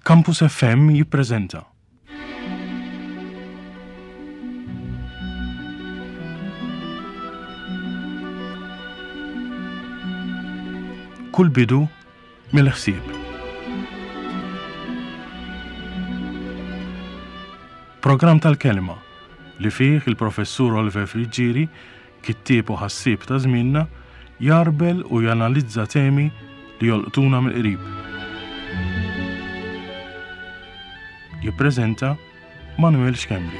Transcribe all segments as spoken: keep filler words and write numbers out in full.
Campus F M jippreżenta Kull bidu mill-ħsieb. Programm tal-kelma li fih il-professur Oliver Friggieri, kittieb u ħassieb ta' żmienna, jarbel u janalizza temi li jolqtuna mill-qrib. Jippreżenta Manuel Schembri.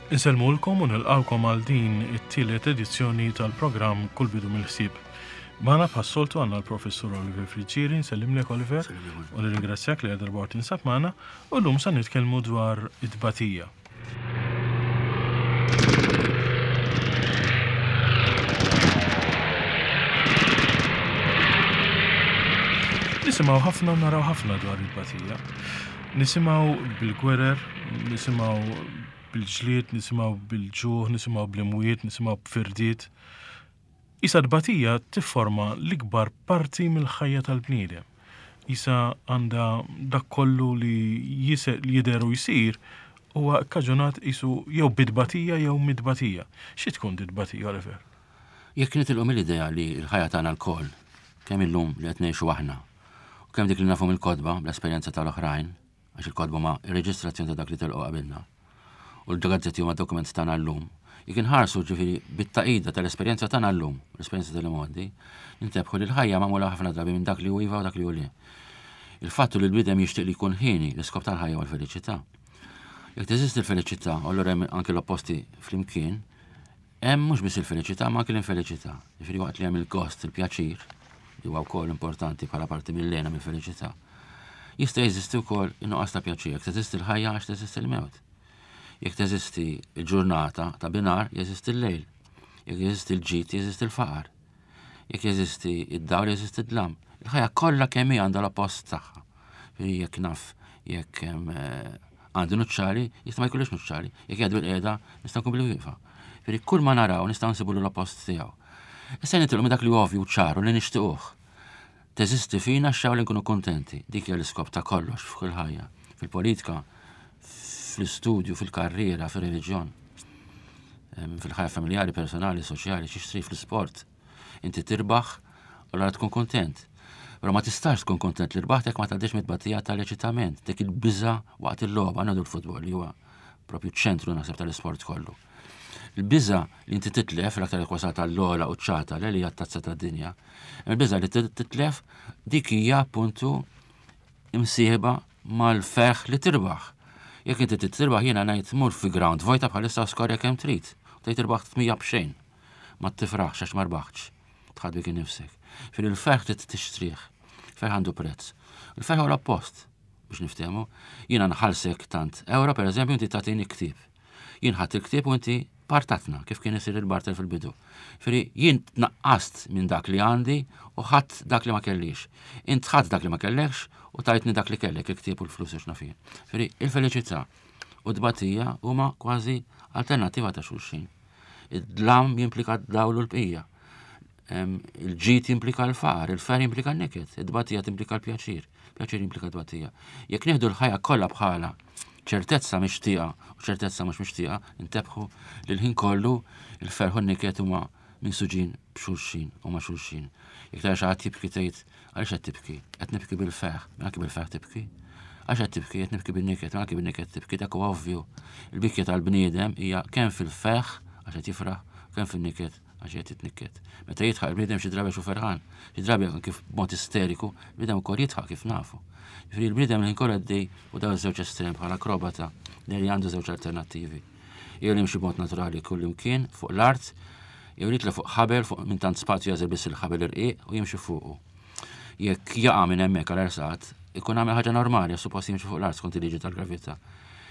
Insellmulkom u nilqawkom għal din it-tielet edizzjoni tal-programm Kull Bidu mill-Ħsieb. Magħna bħas-soltu għandna l-Professur Oliver Friggieri, nsellimlek Oliver, u nirringrazzjak li għal darba tinsab magħna, u llum sa nitkellmu dwar it-tbatija. Nisimgħu ħafna u naraw ħafna dwar it-tbatija. Nisimgħu bil-gwerer, nisimgħu bil-ġlied, nisimgħu bil-ġuħ, nisimgħu bl-imwiet, nisimgħu b'firdiet. Isa tbatija tifforma l-ikbar parti mill-ħajja tal-bniedem. Isa għandha dak kollu li jise-, li jidher u jsir huwa kkaġunat isu jew bit-tbatija jew mid-tbatija. Xi tkun dit-tbatija, Oliver? Jekk nitilqu mill-idea li l-ħajja tagħna lkoll, kemm illum li qed ngħixu aħna, u kemm dik li nafu mill-kotba bl-esperjenza tal-oħrajn, għax il-kotba ma reġistrazzjoni ta' dak li telqu qabilna, u l-gazzetti huma dokument tagħna llum. Jekk inħarsu ġifieri bit-taqida tal-esperjenza tagħna llum, l-esperjenza tal-imgħoddi, nintebħu li l-ħajja magħmula ħafna drabi minn dak li hu iva u dak li hu le. Il-fattu li l-bniedem jixtieq li jkun ħieni l-iskop tal-ħajja huwa l-felicità. Jekk teżisti l-felicità, u allura hemm anke l-opposti flimkien, hemm mhux biss il-felicità ma anke l-infelicità. Ġifieri waqt li hemm il-gost, il-pjaċir, li huwa wkoll importanti bħala parti mill-lena mill-felicità, jista' jeżisti wkoll in-nuqqas ta' pjaċir. Jekk teżisti l-ħajja għax teżisti l-mewt. Jekk teżisti l-ġurnata ta' binar, jeżisti l-lejl. Jekk jeżisti l-ġid, jeżisti l-faqar. Jekk jeżisti id-dawl, jeżisti d-dlam. Il-ħajja kollha kemm hi għandha l-oppost tagħha. Ġifieri jekk naf, jekk hemm, eh, għandi nuċċali, jista' ma jkollix nuċċali. Jekk jgħidu l-qiegħda, nista' nkun bil-wieqfa. Ġifieri kull ma naraw nistgħu nsibu l-oppost tiegħu. Issa nitilqu minn dak li huwa ovvju ċaru li nixtiequh. Teżisti fina x-xewqa li nkunu kuntenti. Dik hija l-iskop ta' kollox f'kull ħajja. Fil-politika, fl-istudju, fil-karriera, fil-reliġjon, em, fil-ħajja familjari, personali, soċjali, xi trid fl-isport. Inti tirbaħ u allura tkun kontent. Però ma tistax tkun kontent li rbaħt jekk ma tgħaddix mit-tbatija tal-eċitament, dik il-biża' waqt il-logħba, għandu l-futbol li huwa propju ċentru naħseb tal-isport kollu. Il-biża' li inti titlef l-aktar jekk wasalt għall-ogħla quċċata li hija t-tazza tad-dinja. Il-biża' li titlef dik hija appuntu imsieħba mal-ferħ li tirbaħ. Jekk inti trid tirbaħ jiena ngħid mur fi ground vojta bħalissa skorja kemm trid. U tgħid irbaħt tmija b'xejn. Ma tifraħx għax ma rbaħtx. Tħadd bik innifsek. Fil il-ferħ trid tixtrih. Ferħ għandu prezz. Il-ferħ huwa l-oppost biex niftehmu. Jiena nħallsek tant euro pereżempju inti tagħtini ktieb. Jien ħadd il-ktieb u inti partatna kif kien isir il-barter fil-bidu. Firi jien tnaqqast minn dak li għandi u ħadd dak li ma kellix. Int ħadd dak li ma kellekx u tajtni dak li kellek, il-ktieb u l-flus u x'naf jien. Firi il-felicità u t-tbatija huma kważi alternattiva ta' xulxin. Id-dlam jimplika d-dawl u l-bqija. Em, il-ġid jimplika l-faqar, il-fer jimplika n-niket, id-tbatija timplika l-pjaċir, pjaċir jimplika t-tbatija. Jekk nieħdu l-ħajja kollha bħala ċertezza mixtieqa u ċertezza mhux mixtieqa, intebħu li l-ħin kollu il-ferħ u n-niket huma minsuġin b'xulxin u ma' xulxin. Jekk tara xi ħadd jibki tgħid, għaliex qed tibki? Qed nibki bil-ferħ, mela anke bil-ferħ tibki. Għaliex qed tibki? Qed nibki bin-niket, mela anke bin-niket tibki, dak huwa ovvju. Il-bikja tal-bniedem hija kemm fil-ferħ għax qed jifraħ, kemm fin-niket għax qed jitnikket. Meta jidħaq il-bniedem xi drabi xu ferħan, xi drabi anke b'mod isteriku, il-bniedem ukoll jidħaq kif nafu. Ġifieri l-bniedem li nkoll għaddej u dawn iż-żewġ estrem bħala akrobata li għandu żewġ alternattivi. Jew li jimxi b'mod naturali kull imkien fuq l-art, jew li jitla' fuq ħabel fuq minn tant spazju jażel biss il-ħabel irqiq u jimxi fuqu. Jekk jaqa' minn hemmhekk għal ersat, ikun għamel ħaġa normali, suppost jimxi fuq l-art skont il-liġi tal-gravità.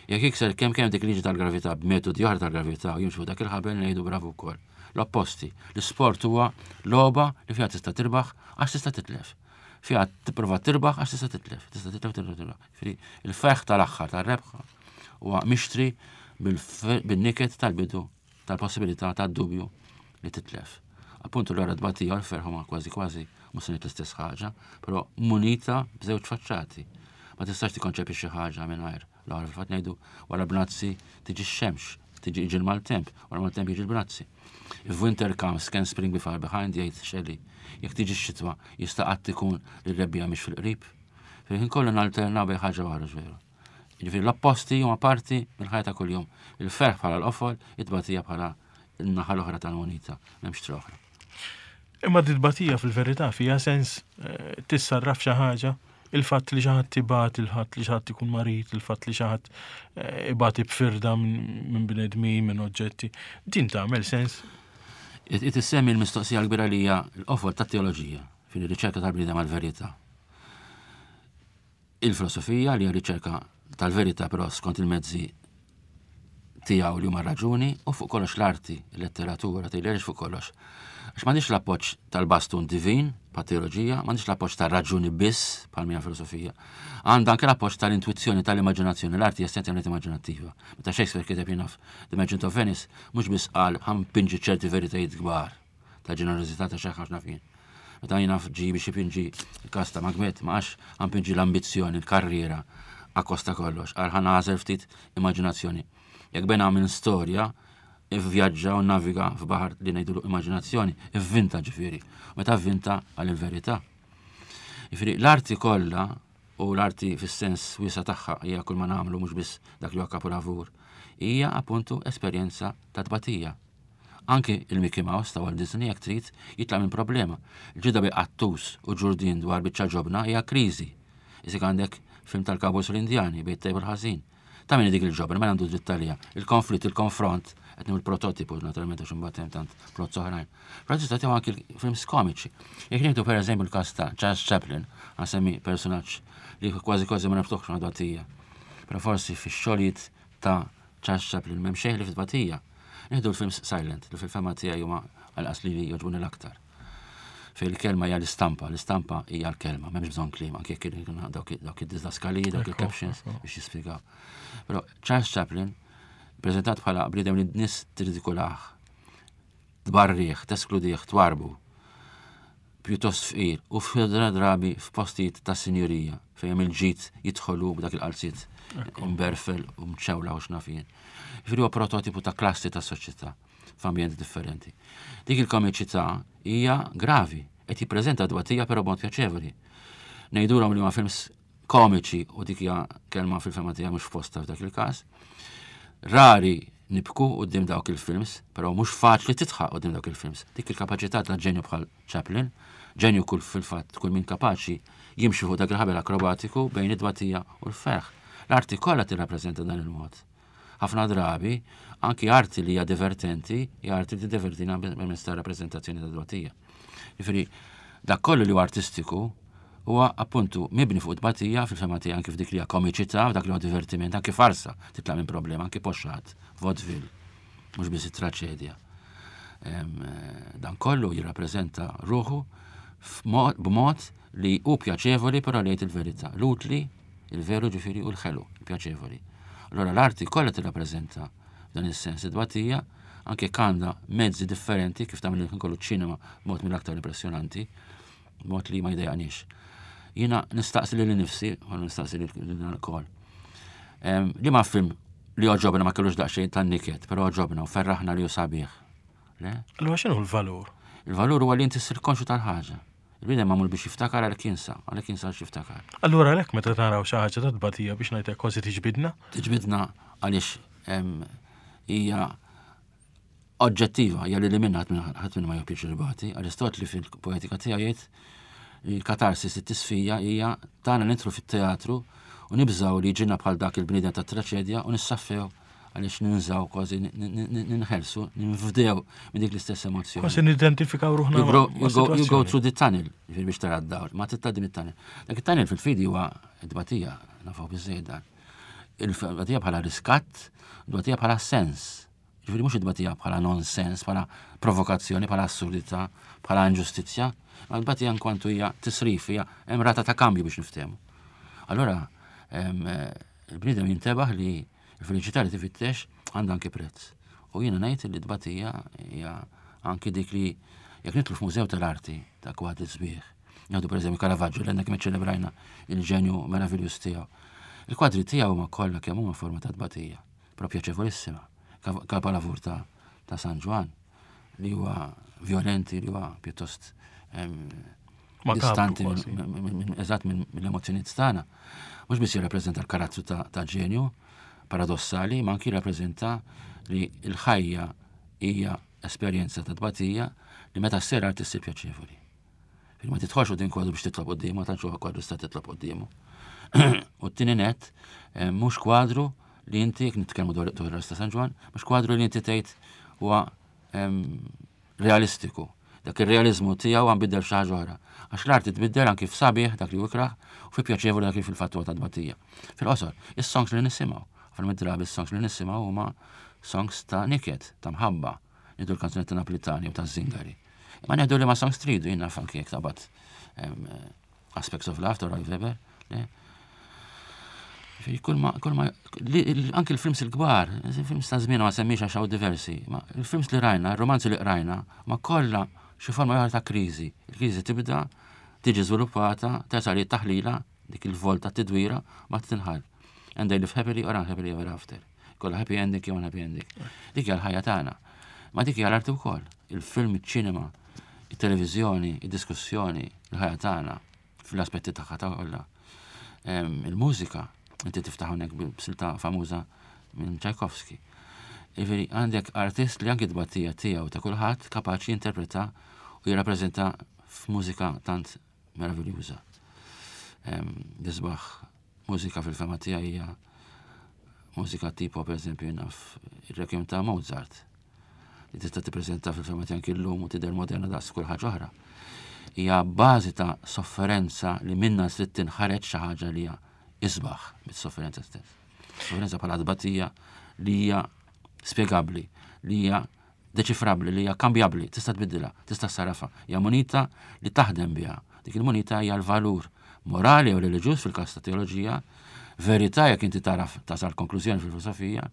Jekk jikser kemm kemm dik liġi tal-gravità b'metodi oħra tal-gravità u jimxi fuq dak il-ħabel ngħidu bravu wkoll. L-opposti. L-isport huwa logħba li fiha tista' tirbaħ għax tista' titlef. Fiha tipprova tirbaħ għax tista' titlef. Tista' titlef, titlef, titlef. Jiġifieri il-ferħ tal-aħħar tar-rebħa huwa mixtri bil-niket tal-bidu tal-possibilità tad-dubju li titlef. Appuntu l-għara tbatija l-ferħ huma kważi kważi mhux se l-istess ħaġa, però munita b'żewġ faċċati. Ma tistax tikkonċepi xi ħaġa mingħajr. L-għara fil-fatt ngħidu wara bnazzi tiġi x-xemx, tiġi iġi l-maltemp, wara maltemp jiġi l-bnazzi. If winter comes, can spring be far behind, jgħid Shelley. Jekk tiġi x-xitwa, jista' qatt ikun li r-rebbiegħa mhix fil-qrib. Fil-ħin kollu nalternaw bejn ħaġa waħda veru. Jiġifieri l-opposti huma parti mill-ħajja ta' kuljum. Il-ferħ bħala l-qofol, it-tbatija bħala n-naħa l-oħra tal-munita, m'hemmx triq oħra. Imma dit-tbatija fil-verità fija sens eh, tissarraf xi ħaġa, il-fatt li xi ħadd ibati, il-fatt li xi ħadd ikun marid, il-fatt li xi ħadd eh, ibati b'firda minn bnedmin, minn oġġetti, din tagħmel sens. It issemmi l-mistoqsija l-kbira li hija l-qofol tat-teoloġija fil-riċerka tal-bniedem għal-verità. Il-filosofija li hija riċerka tal-verità però skont il-mezzi tiegħu li huma raġuni u fuq kollox l-arti, il-letteratura, tgħidli fuq kollox. Għax m'għandix l-appoġġ tal-bastun divin, pa' teoloġija, m'għandix l-appoġġ tal-raġuni biss, bħal mija filosofija. Għandha anke l-appoġġ tal-intuizzjoni, tal-immaġinazzjoni, l-arti essenzjalment immaġinattiva. Meta Shakespeare kiteb jien naf The Merchant of Venice, mhux biss qal ħa npinġi ċerti veritajiet kbar ta' ġenerożità ta' xi ħaġa naf jien. Meta jien naf ġi biex ipinġi il-każ ta' Macbeth, ma għax ħa npinġi l-ambizzjoni, l-karriera, akkost ta' kollox, għal ħa nagħżel ftit immaġinazzjoni. Jekk bena minn storja, ivvjaġġa u naviga f'baħar li ngħidu immaġinazzjoni, ivvinta ġifieri. Meta vvinta għal il-verità. Ġifieri l-arti kollha u l-arti fis-sens wiesa tagħha hija kull ma nagħmlu mhux biss dak li huwa kapolavur, hija appuntu esperjenza ta' tbatija. Anki il-Mickey Mouse ta' Walt Disney jekk trid jitlaq minn problema. Il-ġida bejn qattus u ġurdin dwar biċċa ġobna hija kriżi. Isik għandek film tal-Cowboys u l-Indjani bejn it-tajjeb u l-ħażin. Ta' min dik il-ġobna, ma għandu dritt għalija. Il-konflitt, il-konfront, qed nieħu l-prototipu naturalment għax imbagħad hemm tant plots oħrajn. Però tista' tieħu anki films komiċi. Jekk nieħdu pereżempju l-każ ta' Charles Chaplin, ħa nsemmi personaġġ li kważi kważi ma naftuħx ma' tbatija. Però forsi fix-xogħlijiet ta' Charles Chaplin m'hemm xejn ħlief tbatija. Nieħdu l-films silent, li fil-fehma tiegħi huma għal li jogħġbuni l-aktar. Fej il-kelma hija l-istampa, l-istampa hija l-kelma, m'hemmx bżonn kliem, anke jekk dawk id-didaskaliji, dawk il-captions biex jispjegaw. Però Charles Chaplin preżentat bħala bniedem li nies tirridikulah, tbarrih, teskludih, twarbu, pjuttost fqir u f'ħafna drabi f'postijiet ta' sinjurija fejn il-ġid jidħolu b'dak il-qalziet mberfel u mċewla u x'naf jien. Jiġifieri huwa prototipu ta' klassi ta' soċjetà f'ambjenti differenti. Dik il-komiċità hija gravi, qed jippreżenta tbatija però b'mod pjaċevoli. Ngħidulhom li huma films komiċi u dik hija kelma fil-fehma tiegħi mhux f'posta f'dak il-każ. Rari nibku quddiem dawk il-films, però mhux faċli tidħaq quddiem dawk il-films. Dik il-kapaċità ta' ġenju bħal Chaplin, ġenju kull fil-fatt kull min kapaċi jimxi fuq dak il-ħabel akrobatiku bejn id-tbatija u l-ferħ. L-arti kollha tirrappreżenta dan il-mod. Ħafna drabi, anki arti li hija divertenti, hija arti li divertina permezz ta' rappreżentazzjoni ta' tbatija. Jiġifieri, dak kollu li huwa artistiku huwa appuntu mibni fuq tbatija fil-fehma tiegħi anki f'dik li hija komiċità, dak li huwa divertiment, anki farsa titlaq minn problema, anki poxxat, vaudeville, mhux biss it-traċedja. Dan kollu jirrappreżenta ruħu b'mod li hu pjaċevoli però li jgħid il-verità. L-utli, il-veru ġifieri u l-ħelu, il-pjaċevoli. Allora l-arti kollha tirrappreżenta dan is-sens id-tbatija anke għandha mezzi differenti kif tagħmel il kollu ċinema b'mod mill-aktar impressjonanti, b'mod li ma jdejqanix. Jiena nistaqsi lili nnifsi, u nistaqsi lil lkoll. Li ma film li għoġobna ma kellux daqsxejn tan niket, però għoġobna u ferraħna li hu sabiħ. Le? Allura x'inhu l-valur? Il-valur huwa li inti ssir konxu tal-ħaġa. Il-bniedem magħmul biex jiftakar għalhekk jinsa, għalhekk jinsa għax jiftakar. Allura għalhekk meta naraw xi ħaġa ta' tbatija biex ngħidlek kważi tiġbidna? Tiġbidna għaliex hija oġġettiva, hija li li minna ħadd minn ma joppiċ ribati. Aristotli fil-poetika tiegħu jgħid li l-katarsis it-tisfija hija tagħna nidħlu fit-teatru u nibżaw li ġinna bħal dak il-bniedem ta' traċedja u nissaffew għaliex ninżaw kważi ninħelsu, ninfdew minn dik l-istess emozjoni. Kważi nidentifikaw ruħna. You go, you go, you go through the tunnel, ġifieri biex tara d-dawl, ma tgħaddi mit-tunnel. Dak it-tunnel fil-fidi huwa d-tbatija, nafu biżejjed dan. Il-tbatija bħala riskat, d-tbatija bħala sens. Ġifieri mhux it-tbatija bħala nonsens, bħala provokazzjoni, bħala assurdità, bħala inġustizzja, ma l-tbatija inkwantu hija tisrif, hija hemm rata ta' kambju biex niftehmu. Allora, il-bniedem jintebaħ li l-feliċità li tifittex għandha anki prezz. U jiena ngħid li t-tbatija hija anki dik li jekk nidħlu f'mużew tal-arti ta' kwadri sbieħ. Nieħdu pereżempju Caravaggio, li għandna kemm ċelebrajna il-ġenju meraviljuż tiegħu. Il-kwadri tiegħu huma kollha kemm huma forma ta' tbatija, però pjaċevolissima. Kapolavur ta', ta' San Ġwann, li huwa violenti, li huwa pjuttost distanti eżatt mill-emozzjonijiet tagħna. Mhux biss jirrappreżenta l-karattru ta', ta' ġenju paradossali, ma anki jirrappreżenta li l-ħajja hija esperjenza ta' tbatija li meta ssir arti ssir pjaċevoli. Ma tidħolx quddiem kwadru biex titlob quddiemu, ma tantx huwa kwadru sta titlob quddiemu. U t-tieni net, mhux kwadru li inti, jekk nitkellmu dwar dwar ta' San Ġwann, mhux kwadru li inti tgħid huwa realistiku. Dak ir-realizmu tiegħu għam biddel xi ħaġa oħra. Għax l-arti tbiddel anki f'sabiħ dak li hu ikrah u fi pjaċevoli dak li fil-fatt huwa ta' tbatija. Fil-qosor, is-songs li nisimgħu, ħafna mid-drabi is-songs li nisimgħu huma songs ta' niket, ta' mħabba, nieħdu l-kanzunetti Napolitani u ta' Zingari. Ma nieħdu li ma songs tridu, jien naf anki jekk taqbad Aspects of Love ta' Roy Weber, le? Kull ma, kull ma, anki l-films il-kbar, il-films ta' żmien ma semmix għax hawn diversi, ma il-films li rajna, il-romanzi li qrajna, ma kollha xi forma oħra ta' kriżi. Il-kriżi tibda, tiġi żviluppata, tasal li taħlila, dik il-volta tidwira, ma tinħall. And they live happily or unhappily ever after. Kollha happy ending jew unhappy ending. Dik hija l-ħajja tagħna. Ma dik hija l-arti wkoll. Il-film, iċ-ċinema, it-televiżjoni, id-diskussjoni, il-ħajja tagħna fl-aspetti tagħha ta' kollha. Il-mużika, inti tiftaħ hawnhekk b'silta famuża minn Tchaikovsky. Jiġifieri għandek artist li anki tbatija tiegħu ta' kulħadd kapaċi jinterpreta u jirrappreżenta f'mużika tant meraviljuża. L-isbaħ mużika fil-fehma tiegħi hija mużika tipo pereżempju naf ir-Requiem ta' Mozart li tista' tippreżenta fil-fehma tiegħi anki llum u tidher moderna daqs kull ħaġa oħra. Hija bażi ta' sofferenza li minna trid tinħareġ xi ħaġa li hija isbaħ mis-sofferenza stess. Sofferenza bħala tbatija li hija spjegabbli, li hija deċifrabbli, li hija kambjabbli, tista' tbiddilha, tista' ssarrafha. Hija munita li taħdem biha. Dik il-munita hija l-valur morali u reliġjuż fil-każ ta' teoloġija, verità jekk inti taraf tasal konklużjoni fil-filosofija,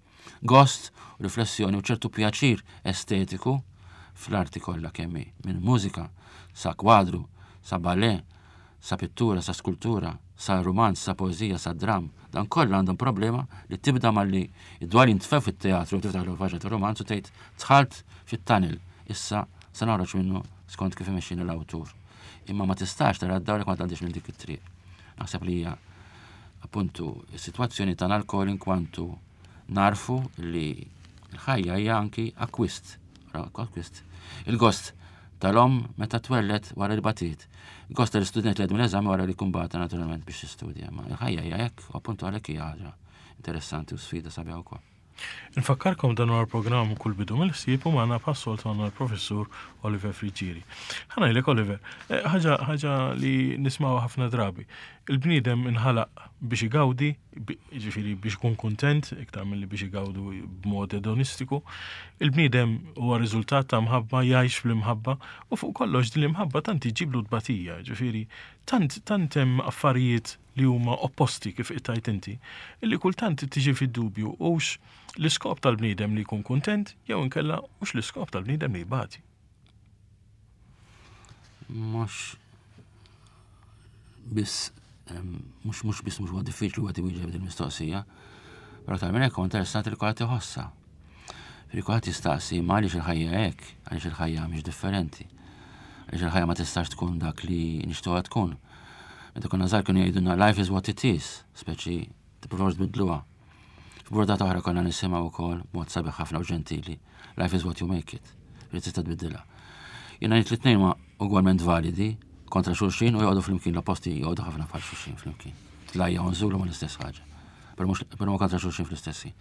gost u riflessjoni u ċertu pjaċir estetiku fl-arti kollha kemm hi, minn mużika sa kwadru, sa ballet, sa pittura, sa skultura, sa romanz, sa poezija, sa dram. Dan kollha għandhom problema li tibda malli id-dwal jintfew fit-teatru, tiftaħ l-faċa ta' romanz u tgħid dħalt fit-tunnel, issa se noħroġ minnu skont kif imexxini l-awtur. Imma ma tistax tara d-dawl jekk ma tgħaddix minn dik it-triq. Naħseb li hija appuntu is-sitwazzjoni tagħna lkoll inkwantu narfu li l-ħajja hija anki akkwist. Akkwist. Il-gost tal-om meta twellet wara li batiet. Il-gost tal-istudent li għadda mill-eżami wara li kumbata naturalment biex jistudja. Ma l-ħajja hija hekk, u appuntu għalhekk hija ħaġa interessanti u sfida sabiħa wkoll. Infakkarkom dan huwa l-programm Kull Bidu mill-Ħsieb u magħna bħas-soltu għandna l-Professur Oliver Friggieri. Ħa ngħidlek Oliver, eh, ħaġa ħaġa li nismgħu ħafna drabi. Il-bniedem inħalaq biex igawdi, ġifieri biex ikun kuntent, iktar milli biex igawdu b'mod edonistiku. Il-bniedem huwa riżultat ta' mħabba, jgħix fl-imħabba u fuq kollox din l-imħabba tant iġiblu tbatija, ġifieri tant tant hemm affarijiet li huma opposti kif ittajt inti, illi kultant tiġi fid-dubju hux l-iskop tal-bniedem li jkun kuntent jew inkella hux l-iskop tal-bniedem li jbati. Mhux biss mhux mhux biss mhux huwa diffiċli wieħed iwieġeb din il-mistoqsija, però tal minn hekk huwa interessanti li kulħadd iħossha. Fi kulħadd jistaqsi ma għaliex il-ħajja hekk, għaliex il-ħajja mhix differenti. Għaliex il-ħajja ma tistax tkun dak li nixtuha tkun. Meta konna żgħar kienu jgħidulna life is what it is, speċi tippruvawx tbidluha. F'burdata oħra konna nisimgħu wkoll b'mod sabiħ ħafna u ġentili, life is what you make it, li tista' tbiddilha. Jiena ngħid li tnejn huma ugwalment validi kontra xulxin u joqogħdu flimkien, l-opposti joqogħdu ħafna bħal xulxin flimkien. Tlajja u nżulu ma l-istess ħaġa. Però mhux però ma kontra xulxin fl-istess ħin.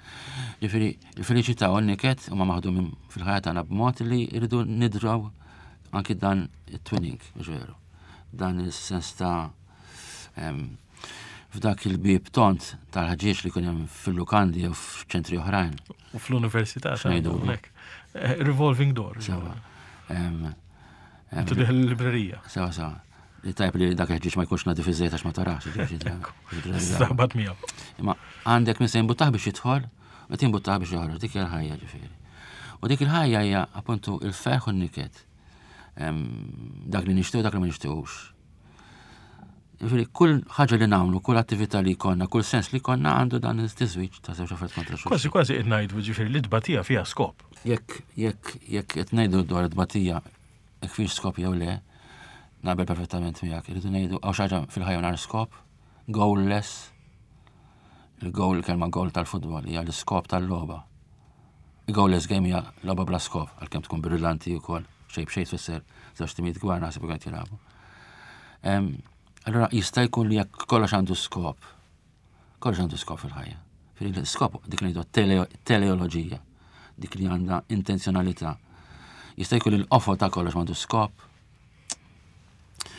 Ġifieri, il-feliċità u n-niket huma maħdumin fil-ħajja tagħna b'mod li jridu nidraw anki dan it-twinning, mhux veru. Dan is-sens ta' F'dak il-bib tont tal-ħġieġ li kien hemm fil-lukandi jew f'ċentri oħrajn. U fl-università. X'ngħidu? Eh, revolving door. Sewa. Tidħol il-librerija. Sewa, sewa. Li tajb li dak il-ħġieġ ma jkunx nadif iżejt għax ma tarax. Staħbat miegħu. Imma għandek min se jimbuttah biex jidħol, u timbuttah biex joħroġ, dik hija l-ħajja ġifieri. U dik il-ħajja hija appuntu il-ferħ u n-niket. Dak li nixtiequ, dak li ma nixtiequx. Ġifieri kull ħaġa li nagħmlu, kull attività li jkollna, kull sens li jkollna għandu dan il-tiżwiġ ta' żewġ affarijiet kontra xulxin. Kważi kważi qed ngħidu ġifieri li tbatija fiha skop. Jekk jekk jekk qed ngħidu dwar it-tbatija jekk fiex skop jew le, naqbel perfettament miegħek. Irridu ngħidu hawn xi ħaġa fil-ħajja nhar skop, goalless. Il-goal, kelma goal tal-futbol hija l-iskop tal-logħba. Il-goalless game hija logħba bla skop, għalkemm tkun brillanti wkoll, xejn b'xejn tfisser żewġ timijiet kbar naħseb qed jilagħbu. Allora jista' jkun li jekk kollox għandu skop, kollox għandu skop fil-ħajja. Fil-skop dik li ngħidu teleoloġija, dik li għandha intenzjonalità. Jista' jkun li l-qofol ta' kollox m'għandu skop.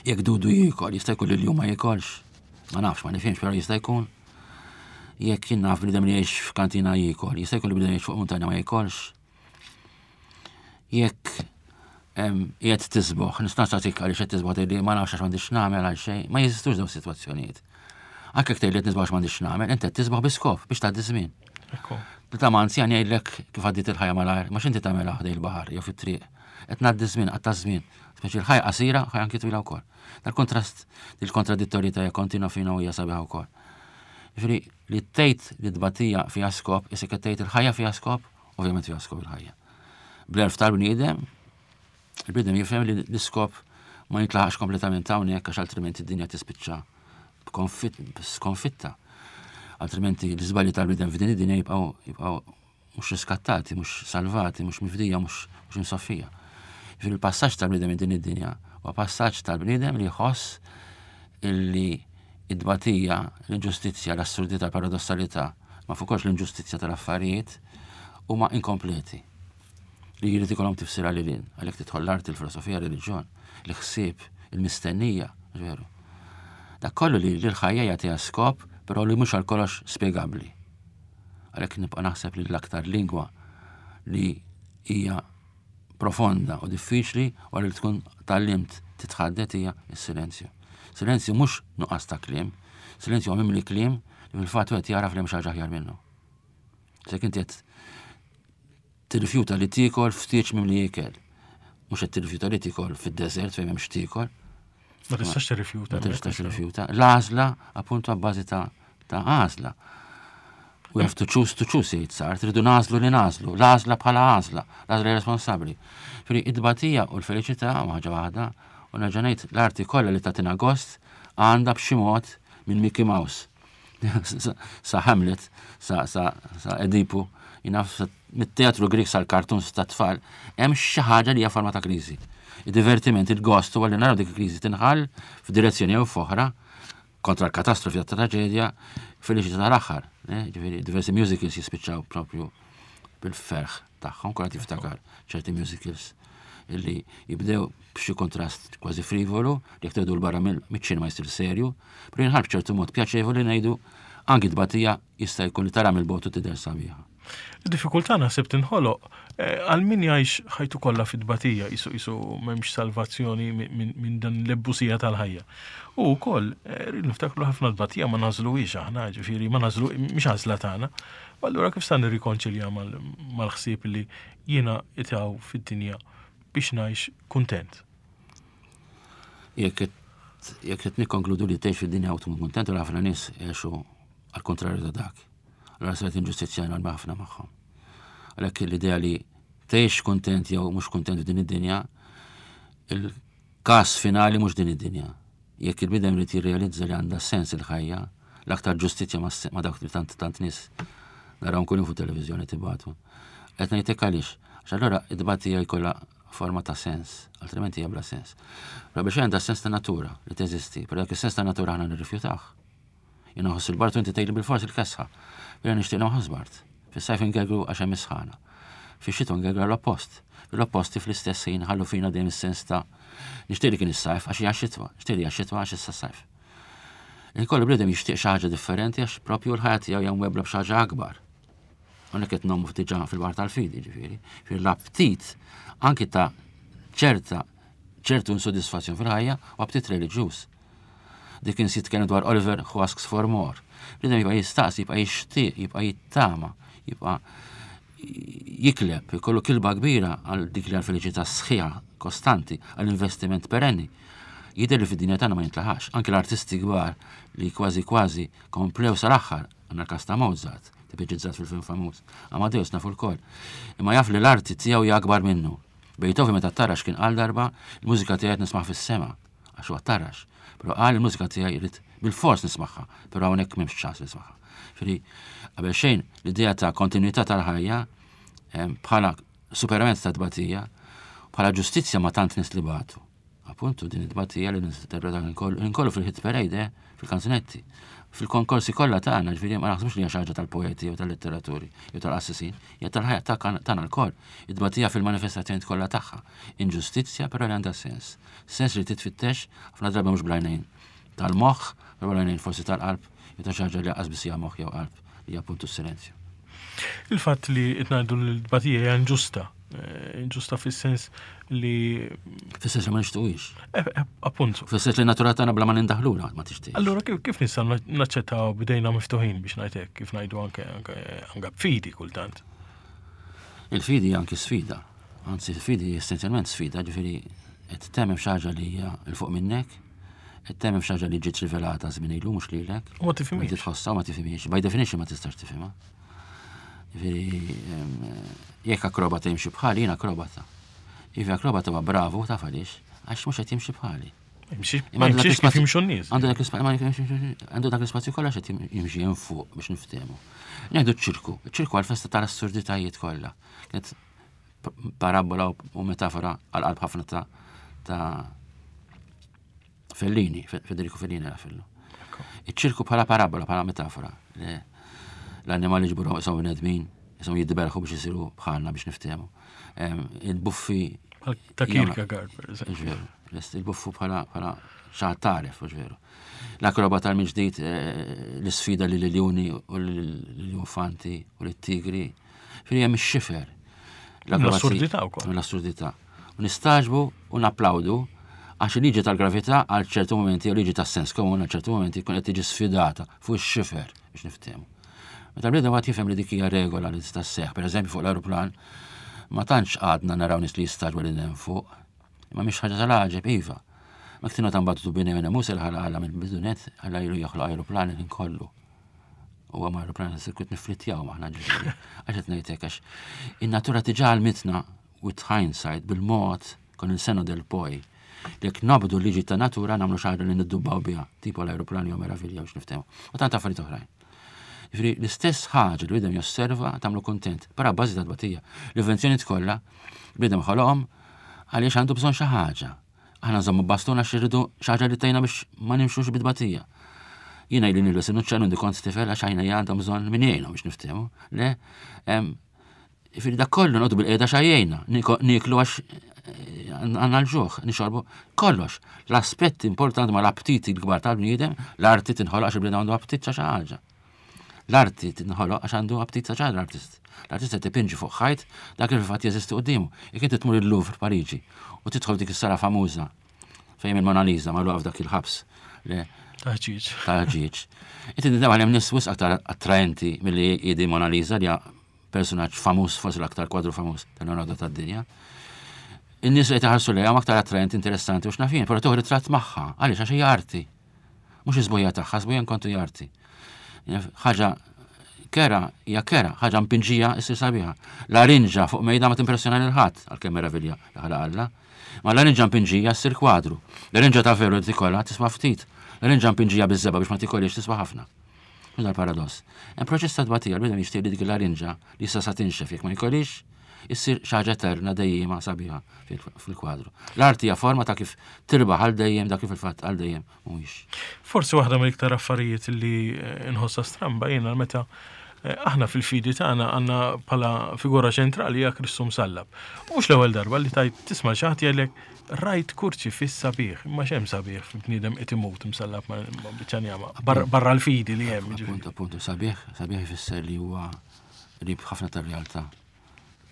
Jekk dudu jiekol, jista' jkun li l-jum ma jiekolx. Ma nafx, ma nifhimx, però jista' jkun. Jekk jien naf bniedem li jgħix f'kantina jiekol, jista' jkun li bniedem jgħix fuq muntanja ma jiekolx. Jekk qiegħed tisboħ, nista' nagħtik għaliex qed tisboħ tgħidli ma nafx għax m'għandix nagħmel għal xejn, ma jeżistux dawn sitwazzjonijiet. Anke jekk tgħidli qed nisboħ għax m'għandix nagħmel, inti qed tisboħ bi skop biex tgħaddi żmien. Ta' ma anzjan jgħidlek kif għaddiet il-ħajja malajr, ma x'inti tagħmel ħdej il-baħar jew fit-triq. Qed ngħaddi żmien, qatta' żmien. Speċi l-ħajja qasira, ħajja anki twila wkoll. Dal-kontrast, il-kontradittorjetà hija kontinwa fina u hija sabiħa wkoll. Jiġifieri li tgħid li tbatija fiha skop, isek qed tgħid il-ħajja fiha skop, ovvjament fiha skop il-ħajja. Bl-erf tal-bniedem, il-bniedem jifhem li l-iskop ma jintlaħax kompletament hawnhekk għax altrimenti d-dinja tispiċċa skonfitta. Altrimenti l-iżbalji tal-bniedem f'din id-dinja jibqgħu jibqgħu mhux riskattati, mhux salvati, mhux mifdija, mhux msoffija. Jiġifieri il-passaġġ tal-bniedem minn din id-dinja huwa passaġġ tal-bniedem li jħoss illi id-tbatija, l-inġustizzja, l-assurdità, l-paradossalità, ma fuqx l-inġustizzja tal-affarijiet huma inkompleti. Li jrid ikollhom tifsira lil hinn, għalhekk tidħol l-arti, il-filosofija, r-reliġjon, l-ħsieb, il-mistennija, veru. Dak kollu li l-ħajja jagħtiha skop, però li mhux għal kollox spjegabbli. Għalhekk nibqa' naħseb li l-aktar lingwa li hija profonda u diffiċli wara li tkun tgħallimt titħaddet hija s-silenzju. Silenzju mhux nuqqas ta' kliem, silenzju huwa mimli kliem li fil-fatt wieħed jaraf li hemm xi ħaġa aħjar minnu. Se inti qed tirrifjuta li tiekol ftit mimli ikel. Mhux qed tirrifjuta li tiekol fid-deżert fejn m'hemmx tiekol. Ma tistax tirrifjuta. Ma tistax tirrifjuta. L-għażla appuntu abbażi ta' ta' għażla. We have to choose to choose, jgħid Sartre, tridu nagħżlu li nagħżlu, l-għażla bħala għażla, l-għażla responsabbli. Fri id-batija u l-felicità ma ħaġa waħda, u nerġa' ngħid l-arti kollha li tagħtina gost għandha b'xi mod minn Mickey Mouse. Sa Hamlet, sa, sa, sa Edipu, jinaf mit-teatru Grik sal-kartun ta' tfal, hemm xi ħaġa li hija forma ta' kriżi. Id-divertiment, il-gost huwa li naraw dik il-kriżi tinħall f'direzzjoni jew f'oħra kontra l-katastrofi ta' traġedja feliċità tal-aħħar. Eh, ġifieri diversi musicals jispiċċaw propju bil-ferħ tagħhom, kollha tiftakar ċerti musicals illi jibdew b'xi kontrast kważi frivolu, li jekk tgħidu l-barra miċ-ċinema jsir serju, però jinħall b'ċertu mod pjaċevoli ngħidu anki tbatija jista' jkun li tara mill-bogħod u tidher sabiħa. Id-diffikultà naħseb tinħoloq eh, għal min jgħix ħajtu kollha fit-tbatija jisu jisu m'hemmx salvazzjoni minn dan l-ebbusija tal-ħajja. U wkoll eh, rrid niftakru ħafna tbatija ma nagħżluhiex aħna, ġifieri ma nagħżlu mhix għażla tagħna. U allura kif sa nirrikonċilja mal-ħsieb li jiena itaw fid-dinja biex ngħix kuntent. Jekk jekk qed nikkonkludu li tgħix fid-dinja u tkun kuntent u ħafna nies jgħixu għal kontrarju ta' dak. Allora saret inġustizzja enormi ħafna magħhom. Għalhekk l-idea li tgħix kuntent jew mhux kuntent f'din id-dinja, il-każ finali mhux din id-dinja. Jekk il-bniedem irid jirrealizza li għandha sens il-ħajja, l-aktar ġustizzja ma' dawk li tant tant nies naraw kull fuq televiżjoni tibatu. Qed ngħidlek għaliex, għax allura id-tbatija jkollha forma ta' sens, altrimenti hija bla sens. Però biex għandha sens ta' natura li teżisti, però dak is-sens ta' natura aħna nirrifjutah. Jien nħoss il-bard u inti tgħidli bil-fors il-kesħa. Jiena nixtieq nħoss bard. Fis-sajf ingergru għax hemm isħana. Fix-xitwa ngergru l-oppost. L-opposti fl-istess ħin ħallu fina dejjem is-sens ta' nixtieq li kien is-sajf għax hija xitwa, nixtieq li hija xitwa għax issa sajf. Il-kollu bniedem jixtieq xi ħaġa differenti għax propju l-ħajja tiegħu hija mwebbla b'xi ħaġa akbar. Hawnhekk qed ngħumu diġà fil-baħar tal-fidi, ġifieri. Fil-aptit anki ta' ċerta ċertu insodisfazzjon fil-ħajja u aptit reliġjuż. Dik insi jitkellem dwar Oliver who asks for more. Bniedem jibqa' jistaqsi, jibqa' jixtieq, jibqa' jittama, jibqa' jikleb, jkollu kilba kbira għal dik li għal-feliċità sħiħa kostanti, għall-investiment perenni. Jidher li fid-dinja tagħna ma jintlaħax. Anki l-artisti kbar li kważi kważi komplew sal-aħħar, għandna l-każ ta' Mozart, tipiġizzat fil-film famuż. Amadeus nafu lkoll. Imma jaf li l-arti tiegħu hija akbar minnu. Beethoven meta tarax kien qal darba, il-mużika tiegħi nisma' fis-sema, għax huwa tarax. Però qal il-mużika tiegħi jrid bil-fors nismagħha, però hawnhekk m'hemmx ċans nismagħha. Ġifieri qabel xejn l-idea ta' kontinuità tal-ħajja bħala superament ta' tbatija, bħala ġustizzja ma' tant nies li batu. Appuntu din it-tbatija li ninterpreta nkollu fil-hit parade, eh, fil-kanzunetti, fil-konkorsi kollha tagħna, ġifieri ma naħsbux li hija xi ħaġa tal-poeti jew tal-litteraturi jew tal-qassisin, hija tal-ħajja tagħna lkoll. It-tbatija fil-manifestazzjoni kollha tagħha. Inġustizzja però li għandha sens. Sens li titfittex ħafna drabi mhux bl-għajnejn tal-moħħ, però bl-għajnejn forsi tal-qalb, jew ta' xi ħaġa li qas biss hija moħħ jew qalb, li hija appuntu s-silenzju. Il-fatt li qed ngħidu li l-tbatija hija inġusta, eh, inġusta fis-sens li Fis-sens li ma nixtuqix. Eh, eh, appuntu. Fis-sens li natura tagħna bla ma nindaħlula ma tixtieq. Allura kif kif nistgħu naċċettaw bidejna miftuħin biex ngħid hekk, kif ngħidu anke anke anke b'fidi kultant. Il-fidi anki sfida. Anzi, il-fidi essenzjalment sfida, ġifieri qed temmen xi ħaġa li hija 'l fuq minnek, qed temmen xi ħaġa li ġiet rivelata żmien ilu mhux lilek. U ma tifhimhiex. Inti tħossha u ma tifhimhiex. By definition ma tistax tifhimha. Ġifieri jekk akrobata jimxi bħali, jien akrobata. Ivi akrobata huwa bravu, taf għaliex, għax mhux qed jimxi bħali. Ma jimxiex kif jimxu n-nies. Għandu dak l-ispazju, għandu dak l-ispazju kollha qed jimxi hemm fuq biex niftehmu. Ngħidu ċ-ċirku, ċ-ċirku għal-festa tal-assurditajiet kollha. Kienet parabola u metafora għal-qalb ħafna ta' ta' Fellini, Federico Fellini għal fillu. Iċ-ċirku bħala parabola, bħala metafora. L-annimali ġburu jisom bnedmin, jisom jidberħu biex jisiru bħalna biex niftehmu. Il-buffi. Ta' Kierkegaard, per eżempju. Il-buffu bħala bħala xaħat taref, veru. L-akrobata tal-miġdid, l-sfida li l-ljuni u l-infanti u l-tigri. Firi hemm ix-xifer. L-assurdità wkoll. L-assurdità. U nistagħġbu u napplawdu għax il-liġi tal-gravità għal ċertu momenti u liġi tas-sens komun għal ċertu momenti jkun qed tiġi sfidata fuq ix-xifer biex niftehmu. Meta l-bniedem għad jifhem li dik hija regola li tista' sseħħ, pereżempju fuq l-ajruplan, ma tantx għadna naraw nies li jistagħġbu li hemm fuq. Imma mhix ħaġa tal-għaġeb iva. Ma ktienu ta' mbagħad bini minn Musa l-ħala għala mill-bidunet għalla ilu joħloq ajruplan il kollu. U għam ajruplan sirkut niflittjaw maħna ġifieri. Għax qed ngħidlek għax in-natura diġà għalmitna with hindsight bil-mod kon il-senno del poi. Jekk nobdu liġi ta' natura nagħmlu xi ħaġa li niddubbaw biha, tipo l-ajruplan jew meravilja biex niftehmu. U tant affarijiet oħrajn. Ġifieri l-istess ħaġa li bniedem josserva tagħmlu kuntent, però bażi ta' tbatija. L-invenzjoni kollha bniedem ħoloqhom għaliex għandu bżonn xi ħaġa. Aħna nżommu bastuna għax irridu xi ħaġa li tgħinna biex ma nimxux bit-tbatija. Jiena ili nilbes in-nuċċali għandi kont tifel għax għajna għandhom bżonn min jgħinhom biex niftehmu. Le, ġifieri dak kollu noqogħdu bil-qiegħda xajjejna, nieklu għax għandna l-ġuħ, nixorbu kollox. L-aspetti importanti ma l-aptiti l-kbar tal-bniedem, l-arti tinħoloq għax il-bniedem għandu aptit xi ħaġa. L-arti tinħoloq għax għandu aptit xi ħaġa l-artist. L-artist qed ipinġi fuq ħajt dak li fil-fatt jeżisti quddiemu. Jekk inti tmur il-Louvre Pariġi u tidħol dik is-sala famuża fejn il-Mona Lisa magħluqa f'dak il-ħabs. Taħġiġ. Taħġiġ. Inti tindaw hemm nies wisq aktar attraenti milli jidi Mona Lisa li personaġġ famuż forsi l-aktar kwadru famuż tal-Leonardo tad-dinja. In-nies li qed lejha aktar attraenti, interessanti u x'nafin, però tieħu ritratt magħha, għaliex għax hija arti. Mhux iż-żbuja tagħha, żbuja nkontu hija arti. Ħaġa kera hija kera, ħaġa mpinġija issir sabiħa. Larinġa fuq mejda ma timpressjona lil ħadd għalkemm meravilja li ħalaq Alla. Ma larinġa mpinġija ssir kwadru. Larinġa ta' veru li tikollha tiswa ftit. Larinġa mpinġija biż-żebgħa biex ma tikolix tiswa ħafna. Mhux dal-paradoss. Hemm proċess ta' tbatija l-bniedem jixtieq li dik il-larinġa li issa sa tinxef jekk ma jkollix issir xi ħaġa eterna dejjema sabiħa fil-kwadru. L-arti hija forma ta' kif tirbaħ għal dejjem dak kif il-fatt għal dejjem mhuwiex. Forsi waħda mill-iktar affarijiet li nħossha stramba jiena meta Eh, aħna fil-fidi tagħna għandna bħala figura ċentrali hija Kristu msallab. Mhux l-ewwel darba li tajt tisma' xi ħadd jgħidlek rajt kurċifiss sabiħ, imma x'hemm sabiħ f'bniedem qed imut msallab ma' biċċa njama. Barra l-fidi li hemm. Appuntu, appuntu, sabiħ, sabiħ ifisser li huwa qrib ħafna tar-realtà,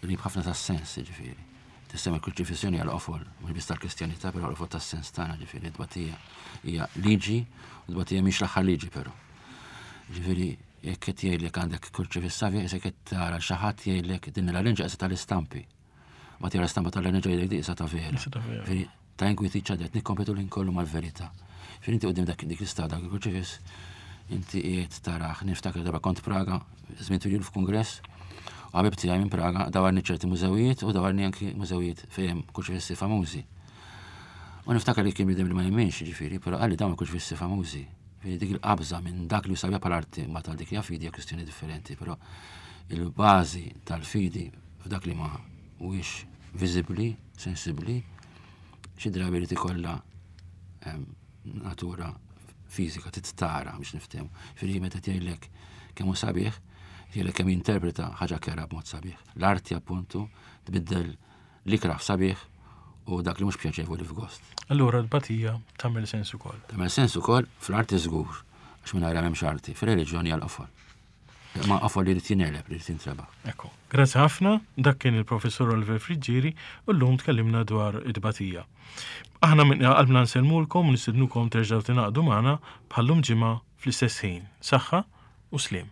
qrib ħafna tas-sens, ġifieri. Tissemma l-kruċifissjoni għal qofol, mhux biss tal-Kristjanità, però għal qofol tas-sens tagħna, ġifieri tbatija hija liġi, u tbatija mhix l-aħħar liġi però. Ġifieri jekk qed jgħidlek għandek kurċifiss sabiħ, isek qed tara xi ħadd jgħidlek din l-larinġa qisha tal-istampi. Ma tara stampa tal-larinġa jgħidlek di qisha ta' vera. Ġifieri ta' inkwiti ċadet nikkompetu l kollu mal-verità. Ġifieri inti qudiem dak dik l-istada dak il-kurċifiss inti qiegħed taraħ niftakar darba kont Praga, żmien twil f'kungress, u ħabib tiegħi minn Praga dawarni ċerti mużewijiet u dawarni anki mużewijiet fejn kurċifissi famużi. U niftakar li kien bidem li ma jemminx, ġifieri, però qalli dawn kurċifissi famużi. Ġifieri dik il-qabża minn dak li sabiħ bħal arti ma tal dik hija fidi hija kwistjoni differenti, però il-bażi tal-fidi f'dak li ma huwiex viżibbli, sensibbli, xi drabi li tikollha ehm, natura fiżika titara biex niftehmu. Ġifieri meta tgħidlek kemm hu sabiħ, jgħidlek kemm jinterpreta ħaġa kera b'mod sabiħ. L-arti appuntu tbiddel l-ikrah sabiħ u dak li mhux pjaċevoli f'gost. Allura l-batija tagħmel sens ukoll. Tagħmel sens ukoll fl-arti żgur, għax mingħajr m'hemmx arti, fir-reliġjoni għal qofol. Ma qofol li jrid jingħeleb, li jrid jintrebaħ. Ekku. Grazzi ħafna, dak kien il-professur Oliver Friggieri u llum tkellimna dwar it-tbatija. Aħna minn qalbna nsellmulkom u nistednukom terġgħu tingħaqdu magħna bħallum ġimgħa fl-istess ħin. Saħħa u sliem.